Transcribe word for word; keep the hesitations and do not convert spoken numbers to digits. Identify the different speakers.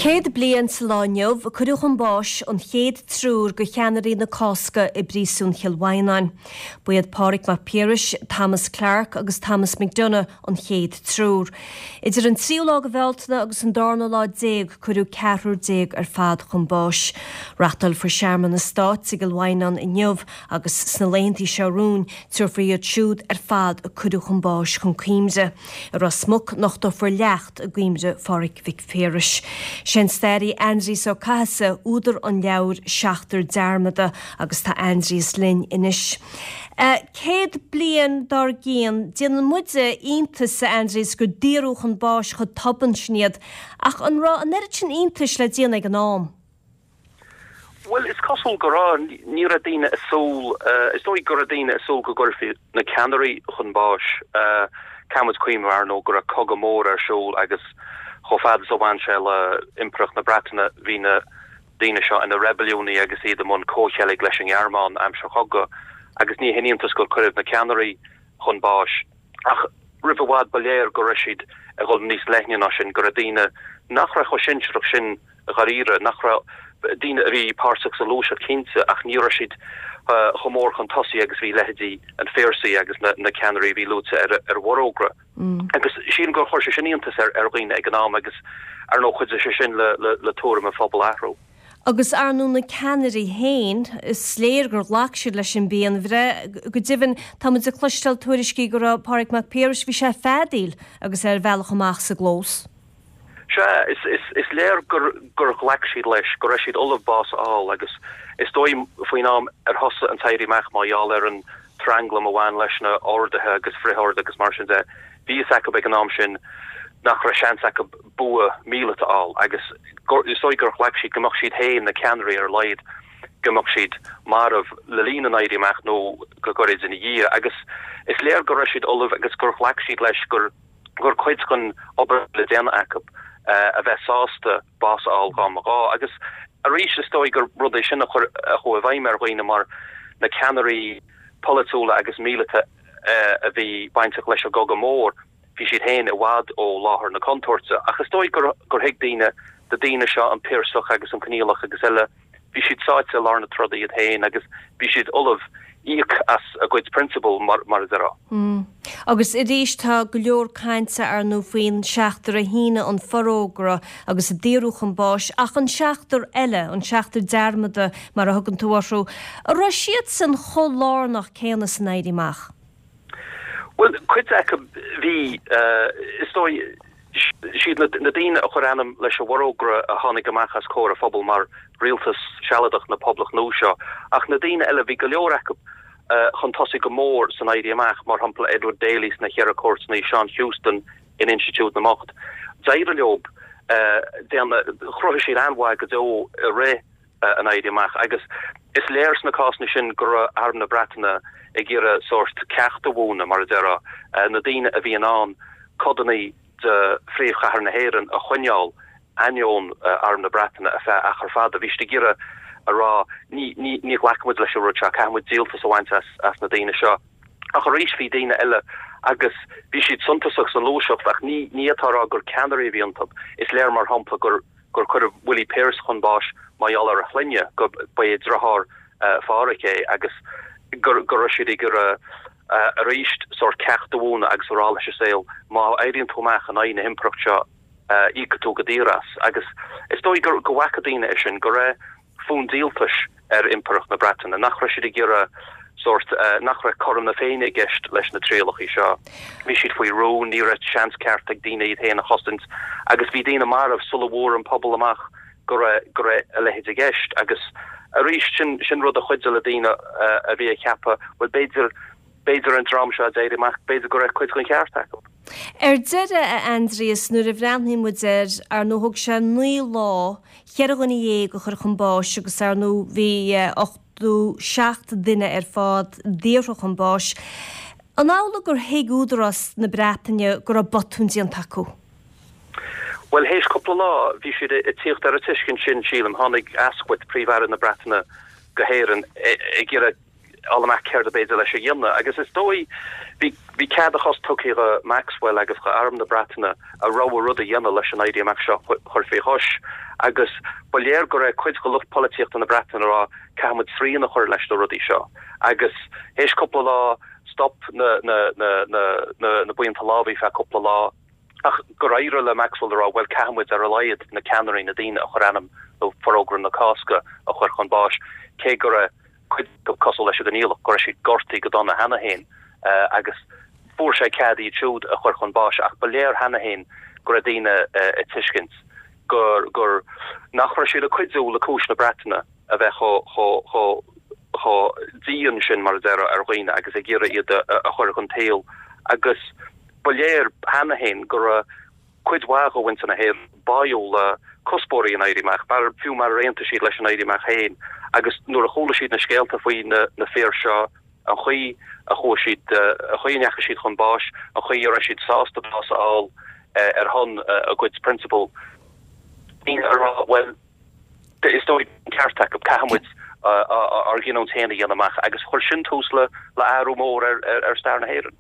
Speaker 1: Céad bliain sa lá inniu a cuireadh chun báis an chéad triúr de cheannairí na Cásca i bpríosún Chill Mhaighneáin. Ba iad Pádraig Mac Piarais, Thomas Clarke agus Thomas McDonagh an chéad triúr. Idir an tríú lá de Bhealtaine agus an darna lá déag cuireadh ceathrar déag ar fad chun báis. Reáchtálfar searmanas stáit i gCill Mhaighneáin inniu agus sna laethanta seo romhainn tabharfar iad siúd ar fad a cuireadh chun báis chun cuimhne. I Ros Muc nochtófar leacht i gcuimhne Phádraig Mhic Phiarais. Sé an staraí Aindrias Ó Cathasaigh údar an leabhair Seachtar Dearmadta agus tá Aindrias linn anois. Uh, céad bliain dár gcionn déanann muide iontas Aindrias gur daoradh chun báis chomh tobann sin iad, ach an raibh an oiread sin iontais le déanamh ag an am.
Speaker 2: Well is cosúil go raibh ní raibh daoine ag súil uh, is dóigh go raibh daoine ag súil go gcuirfí na ceannairí chun báis uh, caithfidh muid cuimhneamh ar ndóigh go raibh cogadh mór ar siúl agus chomh fada is a bhain sé le Impireacht na Breataine bhí na daoine seo ina reibiliúnaigh agus iad i mbun comhcheilg leis an nGearmáin aimsir chogaidh agus ní haon iontas gur cuireadh na ceannairí chun báis ach roimh i bhfad ba léir go raibh siad ag dul níos leithne ná sin go raibh daoine nach raibh chomh sinsearach sin dáiríre nach raibh daoine a bhí páirteach sa ghluaiseacht cinnte ach ní raibh siad uh, chomh mór chun tosaigh agus bhí leithéidí an Phiarsaigh agus na, na ceannairí bhí luaite ar ar bhforógra. Mm. Agus sílim gur chuir sé sin iontas ar ar dhaoine ag an am agus ar ndóigh chuidigh sé sin le, le, le tuairim an phobail a athrú.
Speaker 1: Agus ar ndóigh na ceannairí féin is léir gur ghlac siad leis an bpianbhreith go deimhin tá muid ag cloisteáil tuairiscí go raibh Pádraig Mac Piarais bhí sé ag feadaíl agus ar bhealach amach sa gclós.
Speaker 2: Se is, is, is léir gur gur ghlac siad leis go raibh siad ullamh bás a fháil agus is dóigh faoin am ar thosaigh an t-éirí amach mar gheall ar an tranglam a bhain leis na orduithe agus frith-orduithe agus mar sin de. Bhí a fhios acu ag an am sin nach raibh seans acu bua míleata a fháil agus is dóigh gur ghlac siad go mbeadh siad féin na ceannairí ar a laghad go mbeadh siad marbh le linn an éirí amach nó go gairid ina dhiaidh agus is léir go raibh siad ullamh agus gur ghlac siad leis gur gur cuid den obair le déanamh acu uh, a bheith sásta bás a fháil dá mba ghá agus arís is dóigh gur rud é sin a chur a chuaigh i bhfeidhm ar dhaoine mar na ceannairí polaitiúla agus míleata uh, a bhí bainteach leis an gcogadh mór bhí siad féin i bhfad ó láthair na contúirte ach is dóigh gur gur thuig daoine na daoine seo an Piarsach agus an Conghaileach agus eile bhí siad sáite i lár na troda iad féin agus bhí siad ullamh íoc as a gcuid prionsabal mar mar a déarfá.
Speaker 1: Mm. Agus arís tá go leor cainte ar ndóigh faoin seachtar a shínigh an forógra agus a daoradh chun báis ach an seachtar eile an seachtar dearmadta mar a thugann tú orthu, an raibh siad san chomh lárnach céanna san éirí amach.
Speaker 2: Well cuid acu bhí uh, is dóigh siad na, na daoine a chuir ainm leis an bhforógra a tháinig amach as comhair an phobail mar rialtas sealadach na Poblachta nua seo ach na daoine eile bhí go leor acu uh, chun tosaigh go mór san éirí amach mar shampla Edward Daly sna Ceithre Cúirteanna Seán Heuston in Institiúid na mBocht. D'éirigh leo uh, chruthaigh siad an-mhaith go deo i rith uh, an éirí amach agus is léir sna cásanna sin go raibh arm na Breataine ag iarraidh sórt ceacht a mhúineadh mar a déarfá uh, na daoine a bhí in ann codanna de phríomhchathair na hÉireann a choinneáil ainneoin uh, arm na Breataine ar feadh achar fada bhí siad ag iarraidh a rá ní ní ní ghlacfaimid leis an rud seo caithfimid díoltas a bhaint as as na daoine seo. Ach arís bhí daoine eile agus bhí siad suntasach san ghluaiseacht ach ní ní atá rá gur ceannairí a bhí iontu. Is léir mar shampla gur gur cuireadh Willie Pearse chun báis mar gheall ar a shloinne go ba é deartháir uh, Phádraig é agus gur gur siad gur uh, uh, arís sórt ceacht a mhúineadh agus a rá leis an saol má éiríonn tú amach in aghaidh na himpireacht seo uh, íocfaidh tú go daor as agus is dóigh gur go bhfaca daoine é sin go raibh fonn díoltais ar impireacht na Breataine nach raibh siad ag iarraidh sórt uh, nach raibh cothrom na Féinne i gceist leis na trialacha seo. Bhí siad faoi rún ní raibh seans ceart ag daoine iad féin a chosaint agus bhí daoine marbh sula bhfuair an pobal amach go raibh go raibh a leithéid i gceist agus arís sin sin rud a chuidigh le daoine uh, a bhí ag ceapadh well b'fhéidir b'fhéidir an dream seo d'éirigh amach b'fhéidir go raibh cuid den cheart acu.
Speaker 1: Ar deireadh a Aindrias nuair a bhreathnaíonn muid air ar ndóigh thóg sé naoi lá ceithre dhuine dhéag a chur chun báis agus ar ndóigh bhí ochtó seacht duine ar fad daortha chun báis. An amhlaidh gur thuig údarás na Breataine go raibh botún déanta acu.
Speaker 2: Well théis cúpla lá bhí siad ag tíocht ar an tuiscint sin sílim tháinig Asquith príomh-aire na Breataine go hÉirinn ag iarraidh fháil amach céard ab fhéidir leis a dhéanamh agus is dóigh bhí bhí cead a chos tugtha do Maxwell agus do Arm na Breataine a rogha rud a dhéanamh leis an Éirí Amach seo chur faoi chois agus ba léir go raibh cuid de lucht polaitíochta na Breataine ag rá caithfimid srian a chur leis na rudaí seo agus théis cúpla lá stop na na na na na na buíonta lámhaigh feadh cúpla lá ach gur éirigh le Maxwell rá bhuel caithfimid ar a laghad na ceannairí na daoine a chuir ainm le Forógra na Cásca a chur chun báis cé go raibh cuid cosúil leis an gCoinníollach go raibh siad gortaithe go dona cheana féin uh, agus fuair sé cead iad siúd a chur chun báis ach ba léir cheana féin go raibh daoine uh, ag tuiscint gur gur nach raibh siad ag cuidiú le cúis na Breataine a bheith chomh chomh dian sin mar deir ar dhaoine agus ag iarraidh iad a chur chun tsaoil agus ba léir cheana féin go raibh cuid mhaith de mhuintir na hÉireann báúil le cuspóirí an Éirí Amach mar fiú mar aontaigh siad leis an Éirí Amach féin agus nuair a chuala siad na scéalta faoi na, na fir seo an chaoi a chuaigh siad a chaoi a ndeachaigh siad chun báis an chaoi a raibh siad sásta bás a fháil ar shon a gcuid prionsabal well is dóigh ceart acu caithfimid ár gcinniúint féin a dhéanamh amach agus chuir sin tús le le athrú mór ar, ar, ar stair na hÉireann.